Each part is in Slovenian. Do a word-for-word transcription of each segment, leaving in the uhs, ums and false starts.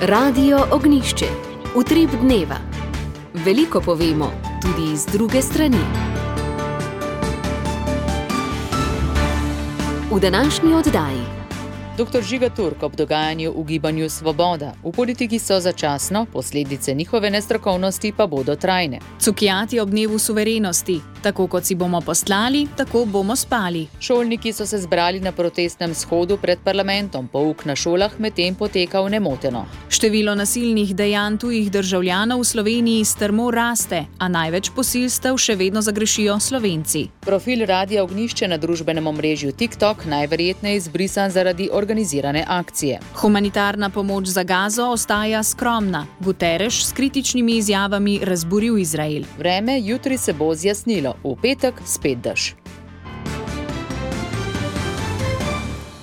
Radio Ognjišče. Utrip dneva. Veliko povemo, tudi iz druge strani. V današnji oddaji. doktor Žiga Turk ob dogajanju v gibanju Svoboda. V politiki so začasno, posledice njihove nestrokovnosti pa bodo trajne. Cukjati ob dnevu suverenosti. Tako kot si bomo poslali, tako bomo spali. Šolniki so se zbrali na protestnem shodu pred parlamentom. Pouk na šolah medtem potekal nemoteno. Število nasilnih dejanj tujih državljanov v Sloveniji strmo raste, a največ posilstev še vedno zagrešijo Slovenci. Profil Radia Ognjišče na družbenem omrežju TikTok najverjetneje izbrisan zaradi organizirane akcije. Humanitarna pomoč za Gazo ostaja skromna. Guterres s kritičnimi izjavami razburil Izrael. Vreme jutri se bo zjasnilo. V petek spet dež.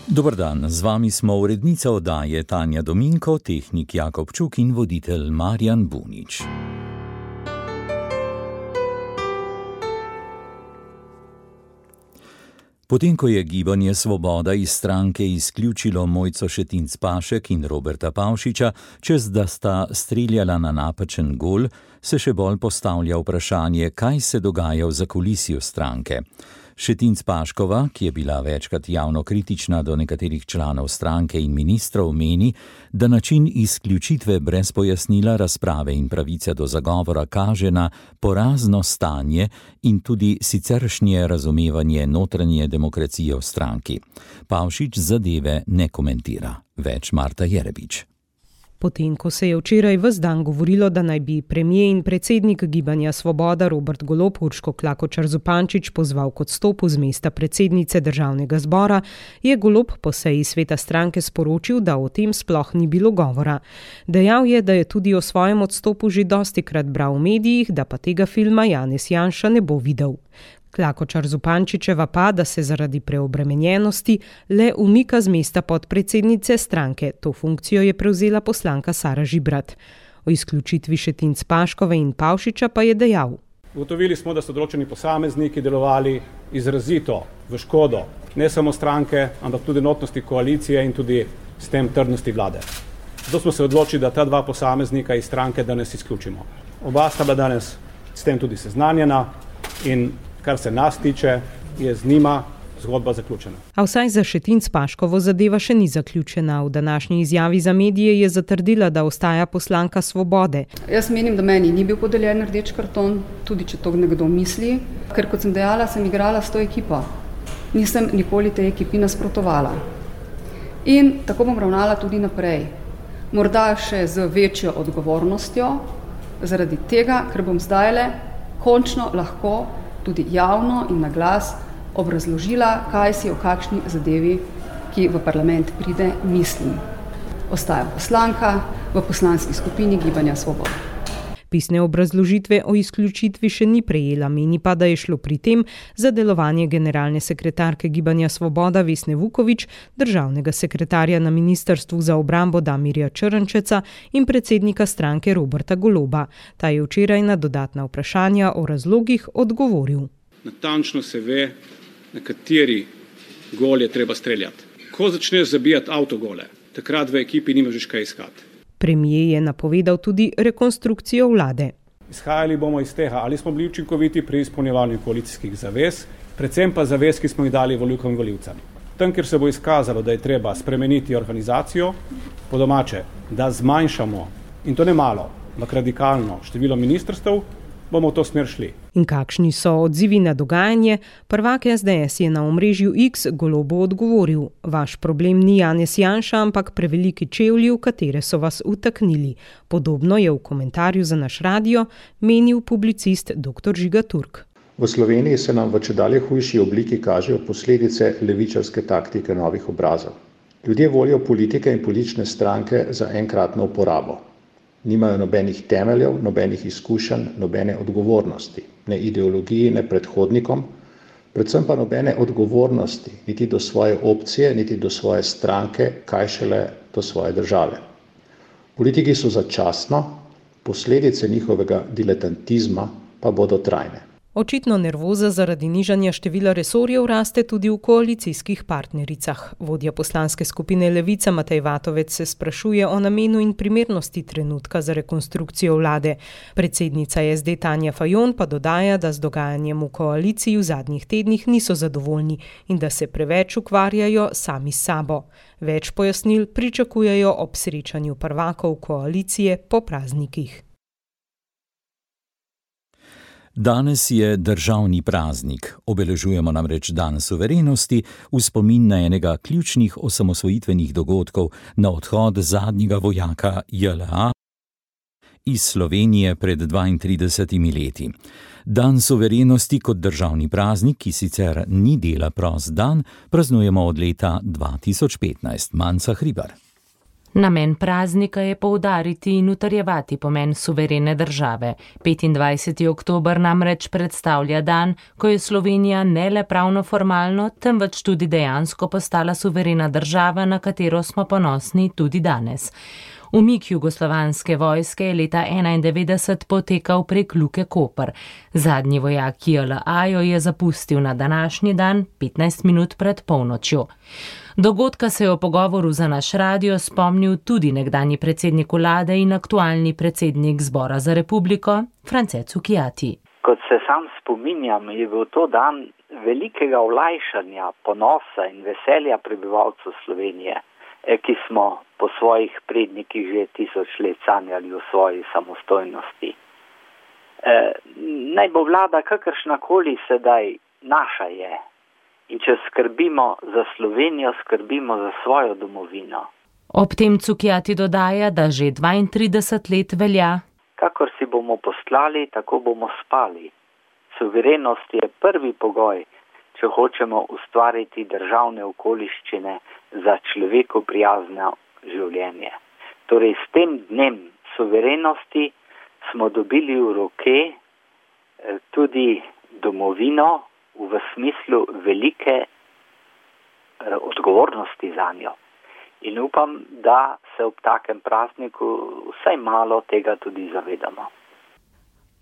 Dober dan, z vami smo urednica oddaje Tanja Dominko, tehnik Jakob Čuk in voditelj Marjan Bunič. Potem, ko je gibanje Svoboda iz stranke izključilo Mojco Šetinc Pašek in Roberta Pavšiča, čez da sta streljala na napačen gol, se še bolj postavlja vprašanje, kaj se dogaja v zakulisju stranke. Šetinc Paškova, ki je bila večkrat javno kritična do nekaterih članov stranke in ministrov, meni, da način izključitve brez pojasnila razprave in pravice do zagovora kaže na porazno stanje in tudi siceršnje razumevanje notranje demokracije v stranki. Pavšič zadeve ne komentira. Več Marta Jerebič. Potem, ko se je včeraj ves dan govorilo, da naj bi premier in predsednik gibanja Svoboda Robert Golob Urško Klakočar Zupančič pozval k odstopu z mesta predsednice državnega zbora, je Golob po seji sveta stranke sporočil, da o tem sploh ni bilo govora. Dejal je, da je tudi o svojem odstopu že dostikrat bral v medijih, da pa tega filma Janez Janša ne bo videl. Klakočar Zupančičeva pa, da se zaradi preobremenjenosti le umika z mesta podpredsednice stranke. To funkcijo je prevzela poslanka Sara Žibrat. O izključitvi Šetinc Paškove in Pavšiča pa je dejal. Ugotovili smo, da so določeni posamezniki delovali izrazito v škodo ne samo stranke, ampak tudi enotnosti koalicije in tudi s tem trdnosti vlade. Zato smo se odločili, da ta dva posameznika iz stranke danes izključimo. Oba sta bila danes s tem tudi seznanjena in kar se nas tiče, je z njima zgodba zaključena. A vsaj za Šetinc Paškovo zadeva še ni zaključena. V današnji izjavi za medije je zatrdila, da ostaja poslanka Svobode. Jaz menim, da meni ni bil podeljen rdeč karton, tudi če to nekdo misli, ker kot sem dejala, sem igrala s to ekipo. Nisem nikoli tej ekipi nasprotovala. In tako bom ravnala tudi naprej. Morda še z večjo odgovornostjo, zaradi tega, ker bom zdajle končno lahko tudi javno in na glas obrazložila, kaj si o kakšni zadevi, ki v parlament pride, mislim. Ostajam poslanka v poslanski skupini Gibanja Svoboda. Pisne obrazložitve o izključitvi še ni prejela, meni pa, da je šlo pri tem za delovanje generalne sekretarke Gibanja Svoboda Vesne Vukovič, državnega sekretarja na Ministrstvu za obrambo Damirja Črnčeca in predsednika stranke Roberta Goloba. Ta je včeraj na dodatna vprašanja o razlogih odgovoril. Natančno se ve, na kateri gol je treba streljati. Ko začneš zabijati avtogole, takrat v ekipi nimaš kaj iskati. Premier je napovedal tudi rekonstrukcijo vlade. Izhajali bomo iz tega, ali smo bili učinkoviti pri izpolnjevanju koalicijskih zavez, predvsem pa zavez, ki smo jih dali volivkam in volivcem. Tam, kjer se bo izkazalo, da je treba spremeniti organizacijo, po domače, da zmanjšamo, in to ne malo, ampak radikalno število ministrstev, bomo v to smer šli. In kakšni so odzivi na dogajanje? Prvak es de es je na omrežju X Golobu odgovoril: vaš problem ni Janez Janša, ampak preveliki čevlji, v katere so vas utaknili. Podobno je v komentarju za naš radio menil publicist doktor Žiga Turk. V Sloveniji se nam v čedalje hujši obliki kažejo posledice levičarske taktike novih obrazov. Ljudje volijo politike in politične stranke za enkratno uporabo. Nimajo nobenih temeljev, nobenih izkušenj, nobene odgovornosti, ne ideologiji, ne predhodnikom, predvsem pa nobene odgovornosti niti do svoje opcije, niti do svoje stranke, kaj šele do svoje države. Politiki so začasno, posledice njihovega diletantizma pa bodo trajne. Očitno nervoza zaradi nižanja števila resorjev raste tudi v koalicijskih partnericah. Vodja poslanske skupine Levica Matej Vatovec se sprašuje o namenu in primernosti trenutka za rekonstrukcijo vlade. Predsednica S D Tanja Fajon pa dodaja, da z dogajanjem v koaliciji v zadnjih tednih niso zadovoljni in da se preveč ukvarjajo sami s sabo. Več pojasnil pričakujejo ob srečanju prvakov koalicije po praznikih. Danes je državni praznik. Obeležujemo namreč dan suverenosti v spomin na enega ključnih osamosvojitvenih dogodkov, na odhod zadnjega vojaka J L A iz Slovenije pred dvaintridesetimi leti. Dan suverenosti kot državni praznik, ki sicer ni dela prost dan, praznujemo od leta dva tisoč petnajst. Manca Hribar. Namen praznika je poudariti in utrjevati pomen suverene države. petindvajseti oktober namreč predstavlja dan, ko je Slovenija ne le pravno formalno, temveč tudi dejansko postala suverena država, na katero smo ponosni tudi danes. Umik jugoslovanske vojske je leta enaindevetdeset potekal prek Luke Koper. Zadnji vojak J L A jo je zapustil na današnji dan, petnajst minut pred polnočjo. Dogodka se je v pogovoru za naš radio spomnil tudi nekdanji predsednik vlade in aktualni predsednik Zbora za republiko, France Cukjati. Kot se sam spominjam, je bil to dan velikega olajšanja, ponosa in veselja prebivalcev Slovenije, ki smo po svojih prednikih že tisoč let sanjali o svoji samostojnosti. E, naj bo vlada kakršnakoli sedaj, naša je. In če skrbimo za Slovenijo, skrbimo za svojo domovino. Ob tem Cukjati dodaja, da že dvaintrideset let velja. Kakor si bomo poslali, tako bomo spali. Suverenost je prvi pogoj, če hočemo ustvariti državne okoliščine za človeku prijazno življenje. Torej, s tem dnem suverenosti smo dobili v roke tudi domovino, v smislu velike odgovornosti za njo. In upam, da se ob takem prazniku vsaj malo tega tudi zavedamo.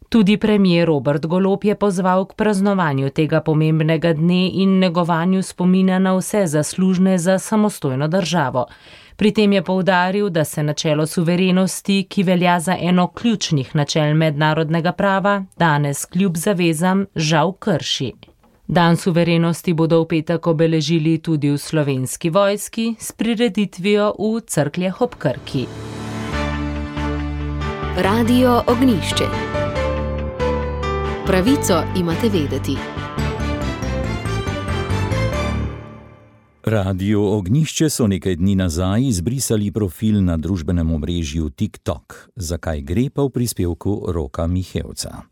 Tudi premier Robert Golob je pozval k praznovanju tega pomembnega dne in negovanju spomina na vse zaslužne za samostojno državo. Pri tem je poudaril, da se načelo suverenosti, ki velja za eno ključnih načel mednarodnega prava, danes kljub zavezam žal krši. Dan suverenosti bodo v petek obeležili tudi v Slovenski vojski s prireditvijo v Cerkljah ob Krki. Radio Ognjišče. Pravico imate vedeti. Radio Ognjišče so nekaj dni nazaj izbrisali profil na družbenem omrežju TikTok. Zakaj gre pa v prispevku Roka Mihevca.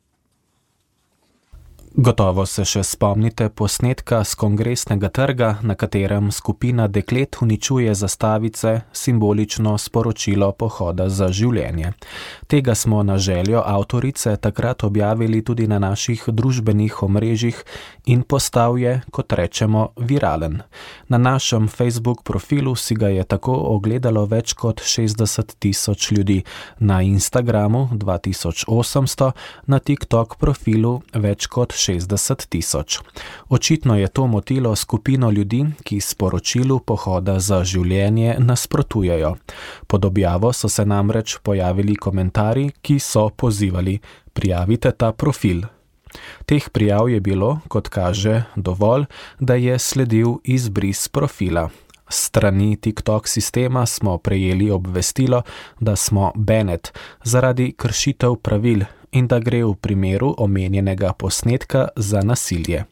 Gotovo se še spomnite posnetka s Kongresnega trga, na katerem skupina deklet uničuje zastavice, simbolično sporočilo pohoda za življenje. Tega smo na željo avtorice takrat objavili tudi na naših družbenih omrežjih in postal je, kot rečemo, viralen. Na našem Facebook profilu si ga je tako ogledalo več kot šestdeset tisoč ljudi, na Instagramu dva tisoč osemsto, na TikTok profilu več kot šestdeset tisoč. Očitno je to motilo skupino ljudi, ki sporočilu pohoda za življenje nasprotujejo. Pod objavo so se namreč pojavili komentarji, ki so pozivali: prijavite ta profil. Teh prijav je bilo, kot kaže, dovolj, da je sledil izbris profila. S strani TikTok sistema smo prejeli obvestilo, da smo banned zaradi kršitev pravil in da gre v primeru omenjenega posnetka za nasilje.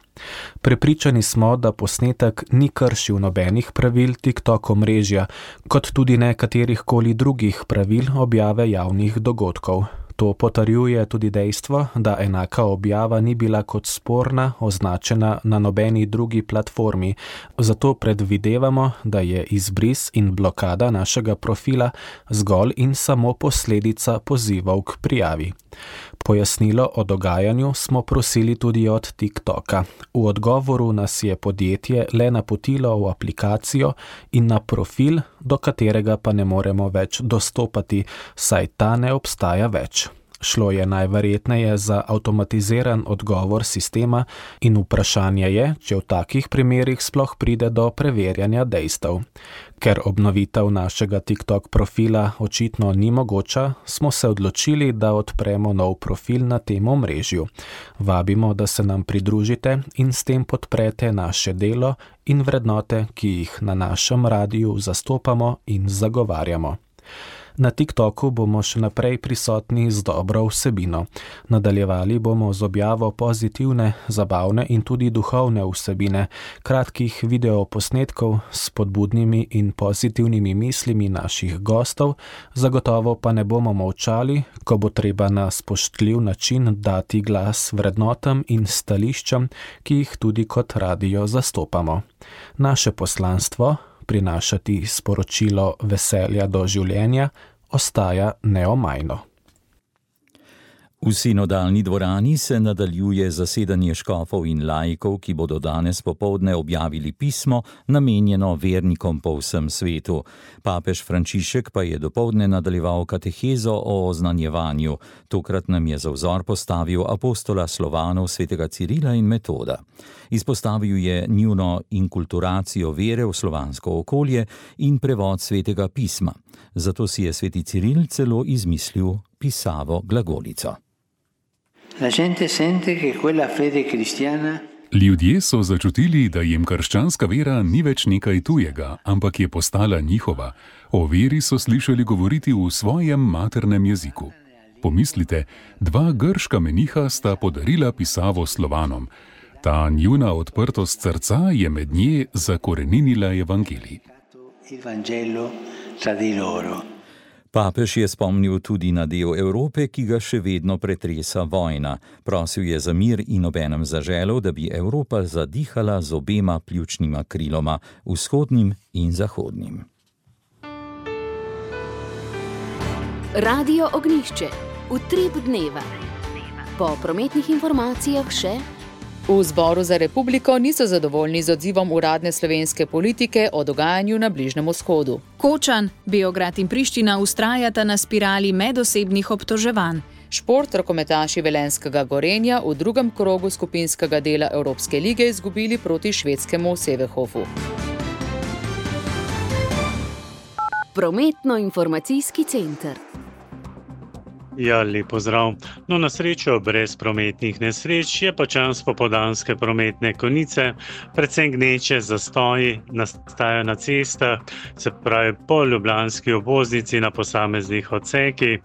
Prepričani smo, da posnetek ni kršil nobenih pravil TikTok omrežja, kot tudi ne katerihkoli drugih pravil objave javnih dogodkov. To potrjuje tudi dejstvo, da enaka objava ni bila kot sporna označena na nobeni drugi platformi, zato predvidevamo, da je izbris in blokada našega profila zgolj in samo posledica pozivov k prijavi. Pojasnilo o dogajanju smo prosili tudi od TikToka. V odgovoru nas je podjetje le napotilo v aplikacijo in na profil, do katerega pa ne moremo več dostopati, saj ta ne obstaja več. Šlo je najverjetneje za avtomatiziran odgovor sistema in vprašanje je, če v takih primerih sploh pride do preverjanja dejstev. Ker obnovitev našega TikTok profila očitno ni mogoča, smo se odločili, da odpremo nov profil na tem omrežju. Vabimo, da se nam pridružite in s tem podprete naše delo in vrednote, ki jih na našem radiju zastopamo in zagovarjamo. Na TikToku bomo še naprej prisotni z dobro vsebino. Nadaljevali bomo z objavo pozitivne, zabavne in tudi duhovne vsebine, kratkih videoposnetkov s spodbudnimi in pozitivnimi mislimi naših gostov, zagotovo pa ne bomo molčali, ko bo treba na spoštljiv način dati glas vrednotam in stališčam, ki jih tudi kot radio zastopamo. Naše poslanstvo, prinašati sporočilo veselja do življenja, ostaja neomajno. V sinodalni dvorani se nadaljuje zasedanje škofov in laikov, ki bodo danes popoldne objavili pismo, namenjeno vernikom po vsem svetu. Papež Frančišek pa je dopoldne nadaljeval katehezo o oznanjevanju. Tokrat nam je za vzor postavil apostola Slovanov svetega Cirila in Metoda. Izpostavil je njuno inkulturacijo vere v slovansko okolje in prevod svetega pisma. Zato si je sveti Ciril celo izmislil pisavo glagolico. Ljudje so začutili, da jim krščanska vera ni več nekaj tujega, ampak je postala njihova. O veri so slišali govoriti v svojem maternem jeziku. Pomislite, dva grška meniha sta podarila pisavo Slovanom. Ta njuna odprtost srca je med nje zakoreninila evangelij. Papež je spomnil tudi na del Evrope, ki ga še vedno pretresa vojna. Prosil je za mir in obenem zaželel, da bi Evropa zadihala z obema pljučnima kriloma, vzhodnim in zahodnim. Radio Ognjišče, utrip dneva. Po prometnih informacijah še... V Zboru za republiko niso zadovoljni z odzivom uradne slovenske politike o dogajanju na Bližnjem vzhodu. Kočan, Beograd in Priština vztrajata na spirali medosebnih obtoževanj. Šport, rokometaši velenjskega Gorenja v drugem krogu skupinskega dela Evropske lige izgubili proti švedskemu Sevehofu. Prometno-informacijski center. Ja, lep pozdrav. No, na srečo brez prometnih nesreč je pa čas popoldanske prometne konice, predvsem gneče zastoji nastajajo na cestah, se pravi po ljubljanski obvoznici na posameznih odsekih.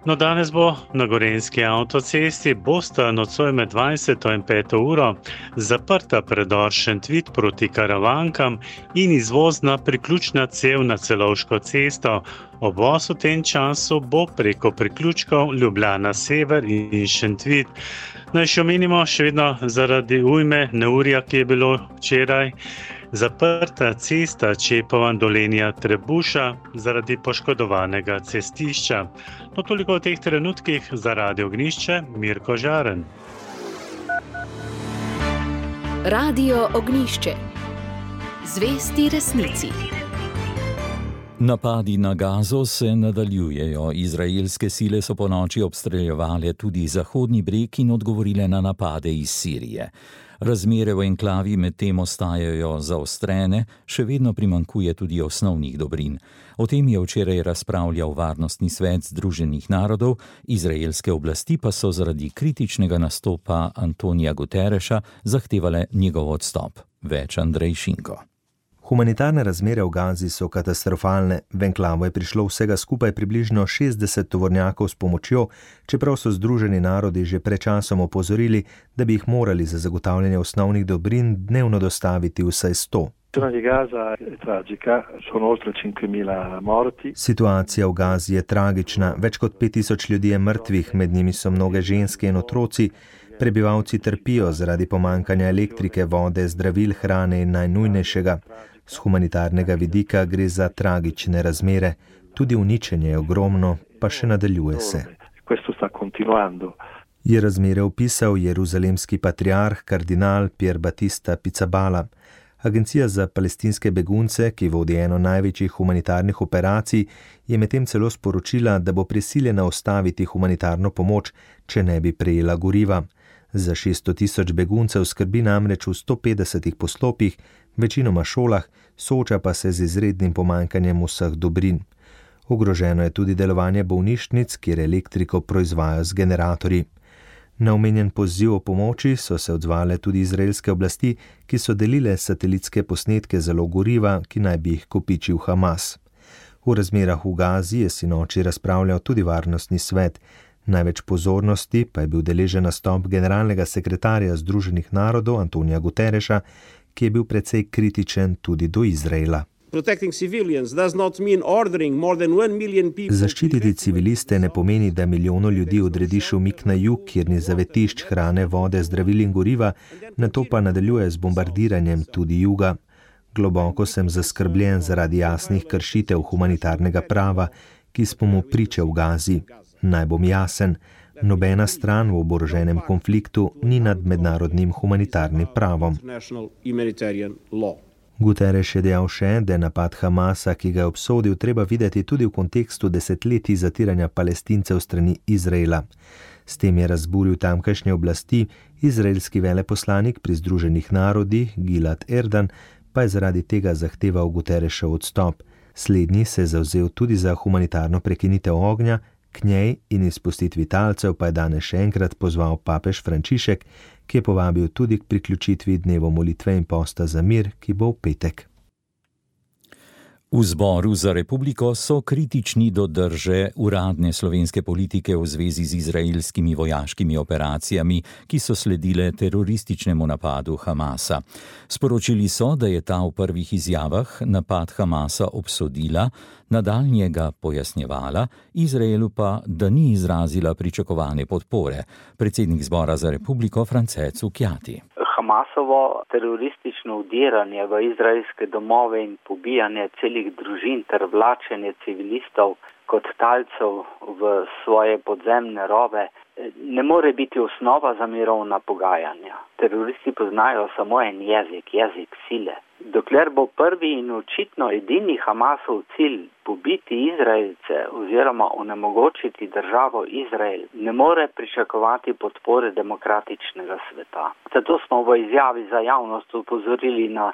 No, danes bo na gorenjski avtocesti bosta nocoj med dvajseto in peto uro zaprta predor Šentvid proti Karavankam in izvozna priključna cev na Celovško cesto. Obvoz v tem času bo preko priključkov Ljubljana Sever in Šentvid. Naj še omenimo, še vedno zaradi ujme neurja, ki je bilo včeraj, zaprta cesta Čepovan-Dolenja Trebuša zaradi poškodovanega cestišča. No, toliko v teh trenutkih za Radio Ognjišče, Mirko Žaren. Radio Ognjišče. Zvesti resnici. Napadi na Gazo se nadaljujejo. Izraelske sile so ponoči obstreljevale tudi Zahodni breg in odgovorile na napade iz Sirije. Razmere v enklavi medtem ostajajo zaostrene, še vedno primanjkuje tudi osnovnih dobrin. O tem je včeraj razpravljal Varnostni svet Združenih narodov, izraelske oblasti pa so zaradi kritičnega nastopa Antonija Guterreša zahtevale njegov odstop. Več Andrej Šinko. Humanitarne razmere v Gazi so katastrofalne. V enklavo je prišlo vsega skupaj približno šestdeset tovornjakov s pomočjo, čeprav so Združeni narodi že pred časom opozorili, da bi jih morali za zagotavljanje osnovnih dobrin dnevno dostaviti vsaj sto. Situacija v Gazi je tragična. Več kot pet tisoč ljudi je mrtvih, med njimi so mnoge ženske in otroci. Prebivalci trpijo zaradi pomankanja elektrike, vode, zdravil, hrane in najnujnejšega. Z humanitarnega vidika gre za tragične razmere. Tudi uničenje je ogromno, pa še nadaljuje se. Je razmere opisal jeruzalemski patriarh kardinal Pier Battista Pizzaballa. Agencija za palestinske begunce, ki vodi eno največjih humanitarnih operacij, je medtem celo sporočila, da bo prisiljena ustaviti humanitarno pomoč, če ne bi prejela goriva. Za šeststo tisoč beguncev skrbi namreč v sto petdesetih poslopjih, večinoma šolah, sooča pa se z izrednim pomanjkanjem vseh dobrin. Ogroženo je tudi delovanje bolnišnic, kjer elektriko proizvajajo z generatorji. Na omenjen poziv o pomoči so se odzvale tudi izraelske oblasti, ki so delile satelitske posnetke zalog goriva, ki naj bi jih kopičil Hamas. V razmerah v Gazi je sinoči razpravljal tudi varnostni svet. Največ pozornosti pa je bil deležen nastop generalnega sekretarja Združenih narodov Antonija Guterreša, ki je bil precej kritičen tudi do Izraela. Zaščititi civiliste ne pomeni, da milijono ljudi odrediš umik na jug, kjer ni zavetišč hrane, vode, zdravil in goriva, nato pa nadaljuje z bombardiranjem tudi juga. Globoko sem zaskrbljen zaradi jasnih kršitev humanitarnega prava, ki smo mu priče v Gazi. Naj bom jasen, nobena stran v oboroženem konfliktu ni nad mednarodnim humanitarnim pravom. Guterres je dejal še, da je napad Hamasa, ki ga je obsodil, treba videti tudi v kontekstu desetletij zatiranja Palestincev strani Izraela. S tem je razburil tamkajšnje oblasti, izraelski veleposlanik pri Združenih narodih Gilad Erdan pa je zaradi tega zahteval Guterresov odstop. Slednji se je zavzel tudi za humanitarno prekinitev ognja, k njej in izpustitvi talcev pa je danes še enkrat pozval papež Frančišek, ki je povabil tudi k priključitvi dnevu molitve in posta za mir, ki bo v petek. V Zboru za republiko so kritični do drže uradne slovenske politike v zvezi z izraelskimi vojaškimi operacijami, ki so sledile terorističnemu napadu Hamasa. Sporočili so, da je ta v prvih izjavah napad Hamasa obsodila, nadaljnjega pojasnjevala, Izraelu pa, da ni izrazila pričakovane podpore. Predsednik Zbora za republiko France Cukjati. Hamasovo teroristično vdiranje v izraelske domove in pobijanje celih družin ter vlačenje civilistov kot talcev v svoje podzemne rove ne more biti osnova za mirovna pogajanja. Teroristi poznajo samo en jezik, jezik sile. Dokler bo prvi in očitno edini Hamasov cilj pobiti Izraelce oziroma onemogočiti državo Izrael, ne more pričakovati podpore demokratičnega sveta. Zato smo v izjavi za javnost upozorili na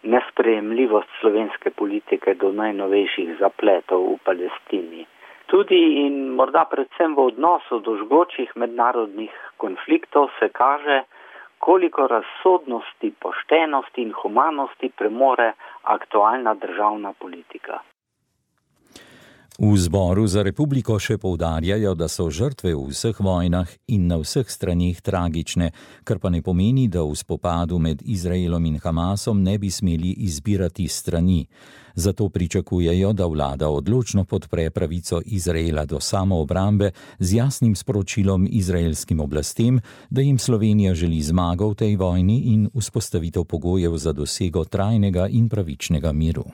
nesprejemljivost slovenske politike do najnovejših zapletov v Palestini. Tudi in morda predvsem v odnosu do žgočih mednarodnih konfliktov se kaže, koliko razsodnosti, poštenosti in humanosti premore aktualna državna politika. V Zboru za republiko še poudarjajo, da so žrtve v vseh vojnah in na vseh straneh tragične, kar pa ne pomeni, da v spopadu med Izraelom in Hamasom ne bi smeli izbirati strani. Zato pričakujejo, da vlada odločno podpre pravico Izraela do samoobrambe z jasnim sporočilom izraelskim oblastem, da jim Slovenija želi zmago v tej vojni in vzpostavitev pogojev za dosego trajnega in pravičnega miru.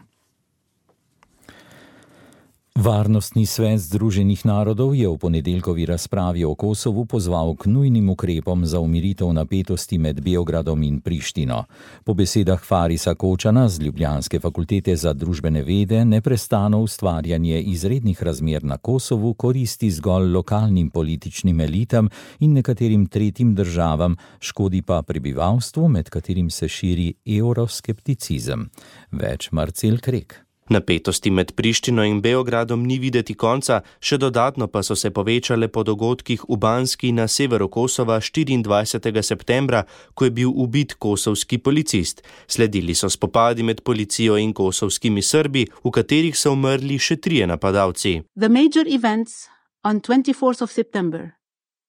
Varnostni svet Združenih narodov je v ponedeljkovi razpravi o Kosovu pozval k nujnim ukrepom za umiritev napetosti med Beogradom in Prištino. Po besedah Farisa Kočana z Ljubljanske fakultete za družbene vede neprestano ustvarjanje izrednih razmer na Kosovu koristi zgolj lokalnim političnim elitam in nekaterim tretjim državam, škodi pa prebivalstvu, med katerim se širi euroskepticizem. Več Marcel Krek. Napetosti med Prištino in Beogradom ni videti konca, še dodatno pa so se povečale po dogodkih v Banski na severu Kosova štiriindvajsetega septembra, ko je bil ubit kosovski policist. Sledili so spopadi med policijo in kosovskimi Srbi, v katerih so umrli še trije napadalci. The major events on twenty-fourth of September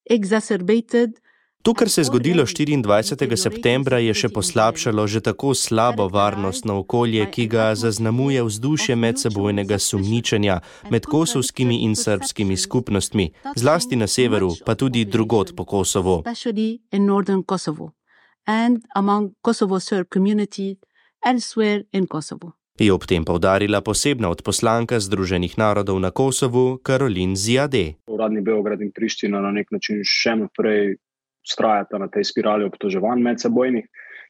exacerbated To, kar se je zgodilo štiriindvajsetega septembra, je še poslabšalo že tako slabo varnostno okolje, ki ga zaznamuje vzdušje medsebojnega sumničenja med kosovskimi in srbskimi skupnostmi, zlasti na severu, pa tudi drugod po Kosovu. Je ob tem poudarila posebna odposlanka Združenih narodov na Kosovu, Karolin Ziade. Uradni Beograd in Priština na nek način še naprej vztrajata na tej spirali obtoževanj medsebojnih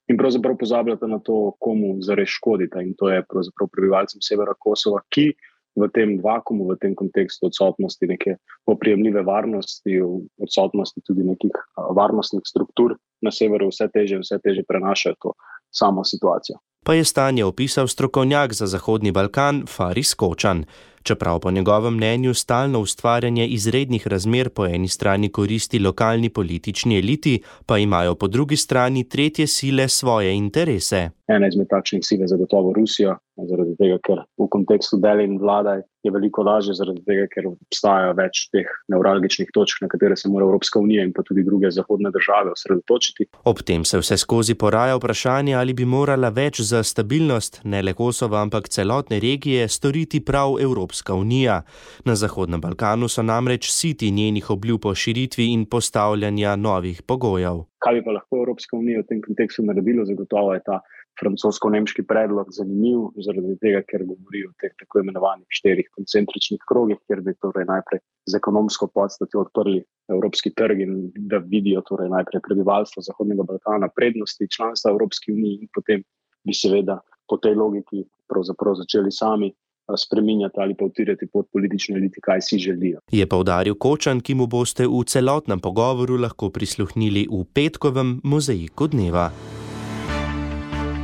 in pravzaprav pozabljate na to, komu zares škodite, in to je pravzaprav prebivalcem severa Kosova, ki v tem vakumu, v tem kontekstu odsotnosti neke oprijemljive varnosti, odsotnosti tudi nekih varnostnih struktur na severu vse teže, vse teže prenašajo to samo situacijo. Pa je stanje opisal strokovnjak za Zahodni Balkan Faris Kočan. Čeprav po njegovem mnenju stalno ustvarjanje izrednih razmer po eni strani koristi lokalni politični eliti, pa imajo po drugi strani tretje sile svoje interese. Ena izmed takšnih sil je zagotovo Rusija, zaradi tega, ker v kontekstu delj in vladaj je veliko lažje, zaradi tega, ker obstaja več teh nevralgičnih točk, na katere se mora Evropska unija in pa tudi druge zahodne države osredotočiti. Ob tem se vse skozi poraja vprašanje, ali bi morala več za stabilnost ne le Kosova, ampak celotne regije storiti prav Evropska unija. Na Zahodnem Balkanu so namreč siti njenih obljub o širitvi in postavljanja novih pogojev. Kaj bi pa lahko Evropska unija v tem kontekstu naredila? Zagotovo je ta francosko-nemški predlog zanimiv, zaradi tega, ker govori o teh tako imenovanih štirih koncentričnih krogih, kjer bi torej najprej z ekonomsko podstatjo odprli evropski trg in da vidijo torej najprej prebivalstvo Zahodnega Balkana prednosti članstva Evropski uniji in potem bi seveda po tej logiki pravzaprav začeli sami spreminjati ali pa utirjati pod politične elite, kaj si želijo. Je poudaril Kočan, ki mu boste v celotnem pogovoru lahko prisluhnili v petkovem Mozaiku dneva.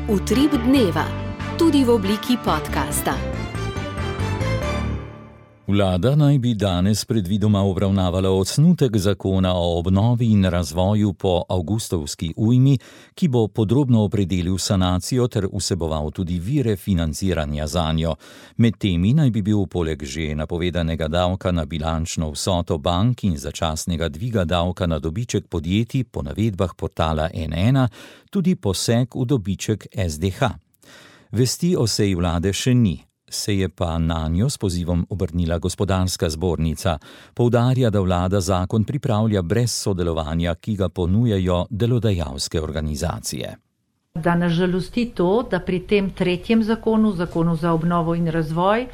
Utrip dneva, tudi v obliki podcasta. Vlada naj bi danes predvidoma obravnavala osnutek zakona o obnovi in razvoju po avgustovski ujmi, ki bo podrobno opredelil sanacijo ter vseboval tudi vire financiranja zanjo. Med temi naj bi bil poleg že napovedanega davka na bilančno vsoto bank in začasnega dviga davka na dobiček podjetij po navedbah portala N ena tudi poseg v dobiček S D H. Vesti o seji vlade še ni. Se je pa na njo s pozivom obrnila gospodarska zbornica. Poudarja, da vlada zakon pripravlja brez sodelovanja, ki ga ponujajo delodajalske organizacije. Da nas žalosti to, da pri tem tretjem zakonu, zakonu za obnovo in razvoj,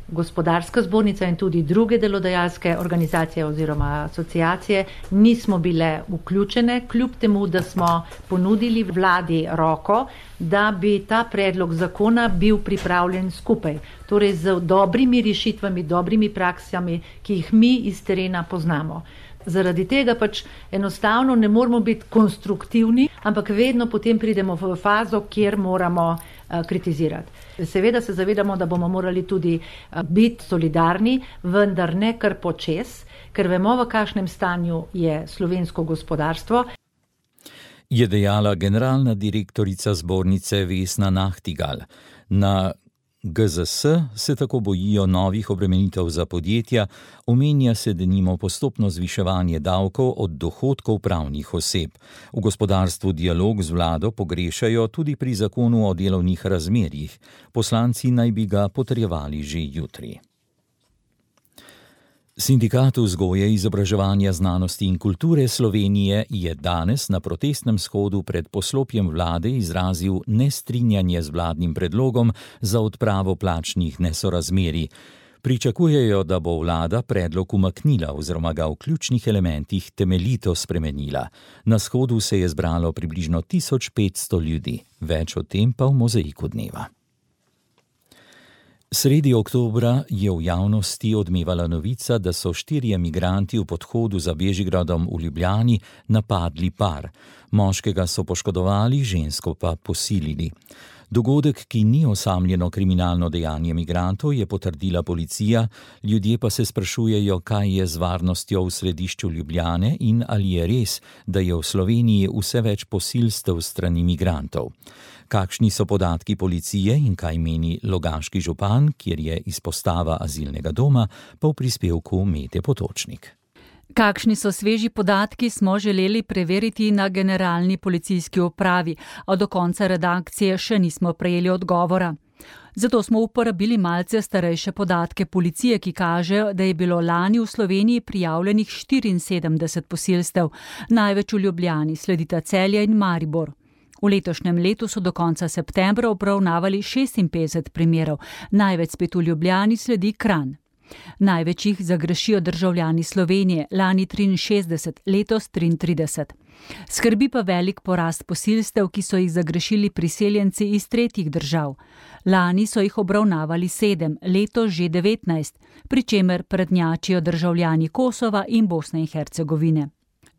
gospodarska zbornica in tudi druge delodajalske organizacije oziroma asociacije nismo bile vključene, kljub temu, da smo ponudili vladi roko, da bi ta predlog zakona bil pripravljen skupaj, torej z dobrimi rešitvami, dobrimi praksami, ki jih mi iz terena poznamo. Zaradi tega pač enostavno ne moramo biti konstruktivni, ampak vedno potem pridemo v fazo, kjer moramo uh, kritizirati. Seveda se zavedamo, da bomo morali tudi uh, biti solidarni, vendar ne kar počez, ker vemo, v kakšnem stanju je slovensko gospodarstvo. Je dejala generalna direktorica zbornice Vesna Nahtigal. Na G Z S se tako bojijo novih obremenitev za podjetja, omenja se denimo postopno zviševanje davkov od dohodkov pravnih oseb. V gospodarstvu dialog z vlado pogrešajo tudi pri zakonu o delovnih razmerjih. Poslanci naj bi ga potrjevali že jutri. Sindikat vzgoje, izobraževanja, znanosti in kulture Slovenije je danes na protestnem shodu pred poslopjem vlade izrazil nestrinjanje z vladnim predlogom za odpravo plačnih nesorazmerij. Pričakujejo, da bo vlada predlog umaknila oziroma ga v ključnih elementih temeljito spremenila. Na shodu se je zbralo približno tisoč petsto ljudi, več o tem pa v Mozaiku dneva. Sredi oktobra je v javnosti odmevala novica, da so štirje migranti v podhodu za Bežigradom v Ljubljani napadli par. Moškega so poškodovali, žensko pa posilili. Dogodek, ki ni osamljeno kriminalno dejanje migrantov, je potrdila policija, ljudje pa se sprašujejo, kaj je z varnostjo v središču Ljubljane in ali je res, da je v Sloveniji vse več posilstev strani migrantov. Kakšni so podatki policije in kaj meni logaški župan, kjer je izpostava azilnega doma, pa v prispevku Mete Potočnik. Kakšni so sveži podatki, smo želeli preveriti na generalni policijski upravi, a do konca redakcije še nismo prejeli odgovora. Zato smo uporabili malce starejše podatke policije, ki kažejo, da je bilo lani v Sloveniji prijavljenih štiriinsedemdeset posilstev, največ v Ljubljani, sledita Celje in Maribor. V letošnjem letu so do konca septembra obravnavali šestinpetdeset primerov, največ spet v Ljubljani sledi Kranj. Največ jih zagrešijo državljani Slovenije, lani triinšestdeset, letos triintrideset. Skrbi pa velik porast posilstev, ki so jih zagrešili priseljenci iz tretjih držav. Lani so jih obravnavali sedem, letos že devetnajst, pri čemer prednjačijo državljani Kosova in Bosne in Hercegovine.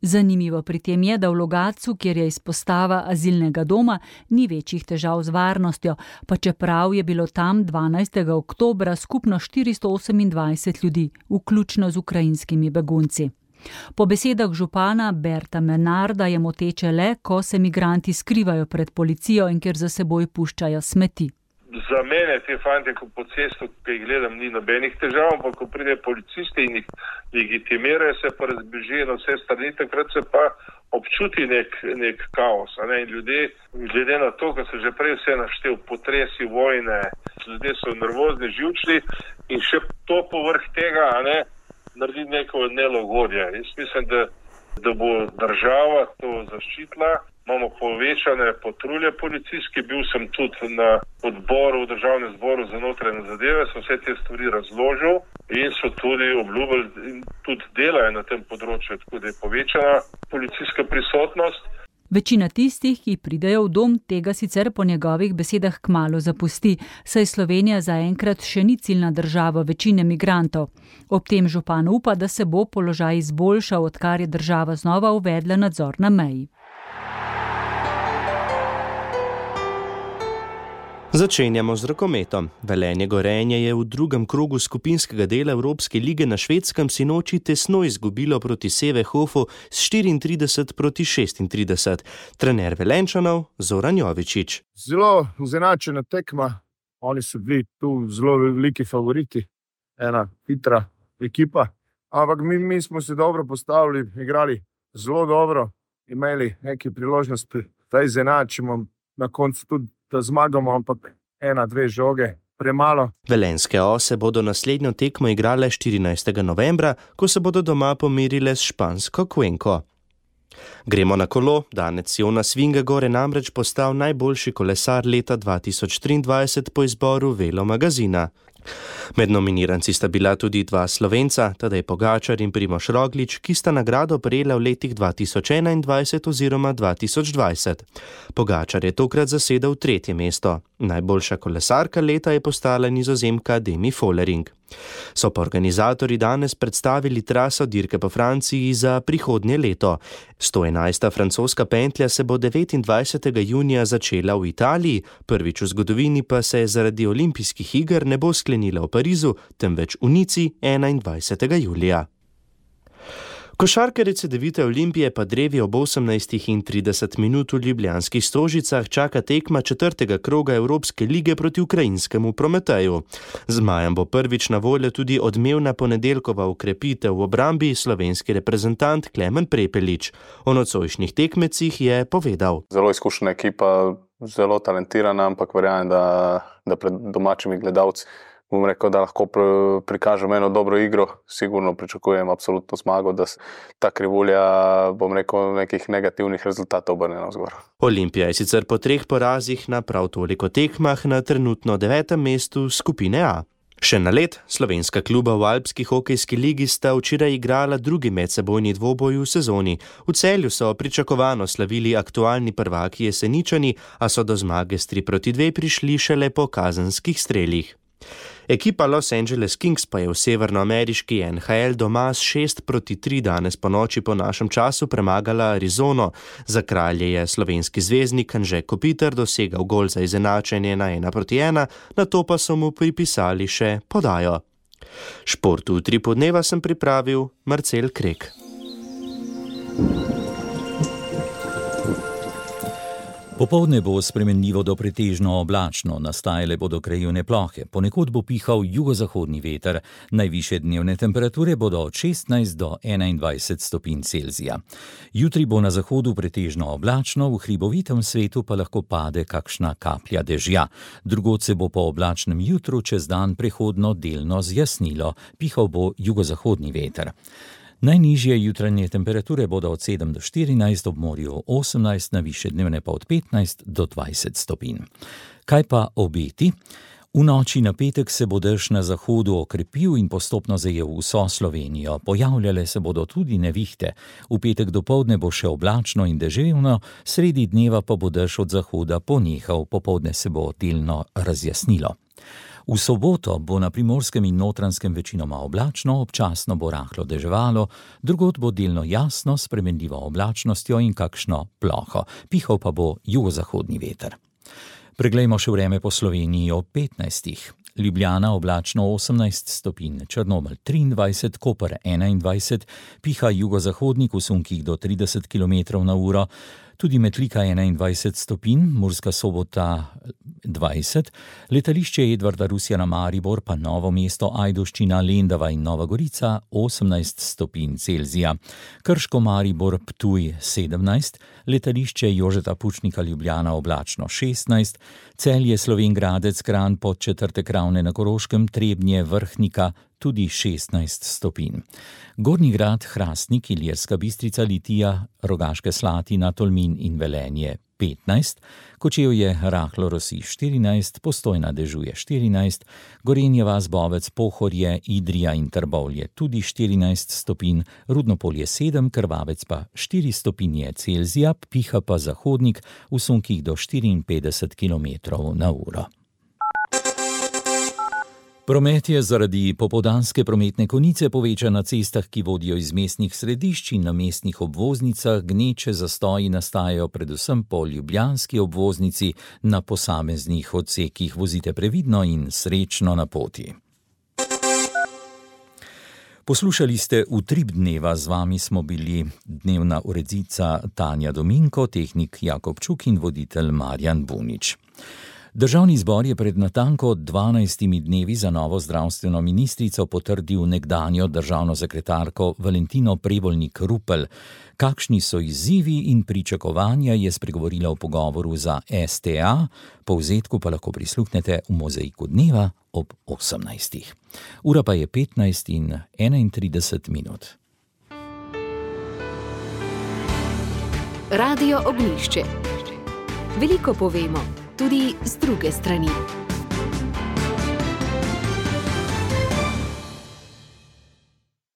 Zanimivo pri tem je, da v Logatcu, kjer je izpostava azilnega doma, ni večjih težav z varnostjo, pa čeprav je bilo tam dvanajstega oktobra skupno štiristo osemindvajset ljudi, vključno z ukrajinskimi begunci. Po besedah župana Berta Menarda je moteče le, ko se migranti skrivajo pred policijo in ker za seboj puščajo smeti. Za mene te fante, ko po cestu, ki jih gledam, ni nobenih težav, ampak ko pride policisti in jih legitimirajo, se pa razbežijo na vse strani, takrat se pa občuti nek, nek kaos. A ne? In ljudje, glede na to, ko se že prej vse naštel, potresi, vojne, ljudje so nervozni, živčni in še to povrh tega, a ne, naredi neko nelagodje. Jaz mislim, da, da bo država to zaščitila. Imamo povečane patrulje policijske, bil sem tudi na odboru v državnem zboru za notranje zadeve, sem vse te stvari razložil in so tudi obljubili in tudi delajo na tem področju, tako da je povečana policijska prisotnost. Večina tistih, ki pridejo v dom, tega sicer po njegovih besedah kmalu zapusti, saj Slovenija zaenkrat še ni ciljna država večine migrantov. Ob tem župan upa, da se bo položaj izboljšal, odkar je država znova uvedla nadzor na meji. Začenjamo z rokometom. Velenje Gorenje je v drugem krogu skupinskega dela Evropske lige na Švedskem sinoči tesno izgubilo proti Sevehofu s štiriintrideset proti šestintrideset. Trener Velenčanov Zoran Jovičić. Zelo izenačena tekma. Oni so bili tu zelo veliki favoriti. Ena hitra ekipa. Ampak mi, mi smo se dobro postavili, igrali zelo dobro, imeli neki priložnosti, da izenačimo na koncu tudi da zmagamo, ampak ena, dve žoge, premalo. Velenjske ose bodo naslednjo tekmo igrale štirinajstega novembra, ko se bodo doma pomirile s špansko Cuenco. Gremo na kolo. Danec Jonas Vingegaard je namreč postal najboljši kolesar leta dva tisoč triindvajset po izboru Velo magazina. Med nominiranci sta bila tudi dva Slovenca, Tadej Pogačar in Primož Roglič, ki sta nagrado prejela v letih dva tisoč enaindvajset oziroma dva tisoč dvajset. Pogačar je tokrat zasedel tretje mesto. Najboljša kolesarka leta je postala Nizozemka Demi Vollering. So pa organizatorji danes predstavili traso dirke po Franciji za prihodnje leto. sto enajsta francoska pentlja se bo devetindvajsetega junija začela v Italiji, prvič v zgodovini pa se zaradi olimpijskih iger ne bo sklenila v Parizu, temveč v Nici enaindvajsetega julija. Košarkarice Cedevite Olimpije pa drevi ob osemnajstih in trideset minut v ljubljanskih Stožicah čaka tekma četrtega kroga Evropske lige proti ukrajinskemu Prometeju. Zmajem bo prvič na voljo tudi odmevna ponedeljkova ukrepitev v obrambi slovenski reprezentant Klemen Prepelič. O nocojšnjih tekmecih je povedal. Zelo izkušena ekipa, zelo talentirana, ampak verjamem, da, da pred domačimi gledalci bom rekel, da lahko prikažem eno dobro igro. Sigurno pričakujem absolutno zmago, da ta krivulja, bom rekel, nekih negativnih rezultatov obrne navzgor. Olimpija je sicer po treh porazih na prav toliko tekmah na trenutno devetem mestu skupine A. Še na led, slovenska kluba v Alpski hokejski ligi sta včeraj igrala drugi medsebojni dvoboj v sezoni. V Celju so pričakovano slavili aktualni prvaki Jeseničani, a so do zmage s tri proti dve prišli šele po kazenskih strelih. Ekipa Los Angeles Kings pa je v severnoameriški N H L doma s šest proti tri danes po noči po našem času premagala Arizono. Za kralje je slovenski zvezdnik Anže Kopitar dosegal gol za izenačenje na ena proti ena, nato pa so mu pripisali še podajo. Športu v tri podneva sem pripravil Marcel Krek. Popoldne bo spremenljivo do pretežno oblačno, nastajale bodo krajevne plohe, ponekod bo pihal jugozahodni veter, najvišje dnevne temperature bodo od šestnajst do enaindvajset stopinj Celzija. Jutri bo na zahodu pretežno oblačno, v hribovitem svetu pa lahko pade kakšna kaplja dežja. Drugod se bo po oblačnem jutru čez dan prehodno delno zjasnilo, pihal bo jugozahodni veter. Najnižje jutranje temperature bodo od sedem do štirinajst, ob morju osemnajst, na višje dnevne pa od petnajst do dvajset stopinj. Kaj pa obeti? V noči na petek se bo dež na zahodu okrepil in postopno zajel vso Slovenijo. Pojavljale se bodo tudi nevihte. V petek dopoldne bo še oblačno in deževno, sredi dneva pa bo dež od zahoda ponehal, popoldne se bo delno razjasnilo. V soboto bo na Primorskem in Notranjskem večinoma oblačno, občasno bo rahlo deževalo, drugod bo delno jasno, s spremenljivo oblačnostjo in kakšno ploho. Pihal pa bo jugozahodni veter. Preglejmo še vreme po Sloveniji ob petnajstih. Ljubljana oblačno osemnajst stopinj, Črnomelj triindvajset, Koper enaindvajset, piha jugozahodnik v sunkih do trideset kilometrov na uro, tudi Metlika enaindvajset stopinj, Murska Sobota dvajset, letališče Edvarda Rusjana Maribor pa Novo mesto, Ajdovščina, Lendava in Nova Gorica osemnajst stopinj Celzija, Krško, Maribor, Ptuj sedemnajst, letališče Jožeta Pučnika Ljubljana oblačno šestnajst, Celje, Slovenj Gradec, Kranj, Podčetrtek, Ravne na Koroškem, Trebnje, Vrhnika tudi šestnajst stopinj. Gornji Grad, Hrastnik, Ilirska Bistrica, Litija, Rogaške Slatina, Tolmin in Velenje petnajst, Kočevje, rahlo rosi štirinajst, Postojna dežuje štirinajst, Gorenje vas, Bovec, Pohorje, Idrija in Trbovlje tudi štirinajst stopinj, Rudnopolje sedem, Krvavec pa štiri stopinje Celzija, piha pa zahodnik v sunkih do štiriinpetdeset kilometrov na uro. Promet je zaradi popoldanske prometne konice povečan na cestah, ki vodijo iz mestnih središč, in na mestnih obvoznicah gneče zastoji nastajajo predvsem po ljubljanski obvoznici na posameznih odsekih. Vozite previdno in srečno na poti. Poslušali ste Utrip dneva, z vami smo bili dnevna urednica Tanja Dominko, tehnik Jakob Čuk in voditelj Marjan Bunič. Državni zbor je pred natanko dvanajstimi dnevi za novo zdravstveno ministrico potrdil nekdanjo državno sekretarko Valentino Prevolnik Rupel. Kakšni so izzivi in pričakovanja, je spregovorila v pogovoru za S T A, povzetku pa lahko prisluhnete v Mozaiku dneva ob osemnajstih. Ura pa je petnajst in enaintrideset minut. Radio Ognjišče. Veliko povemo, tudi z druge strani.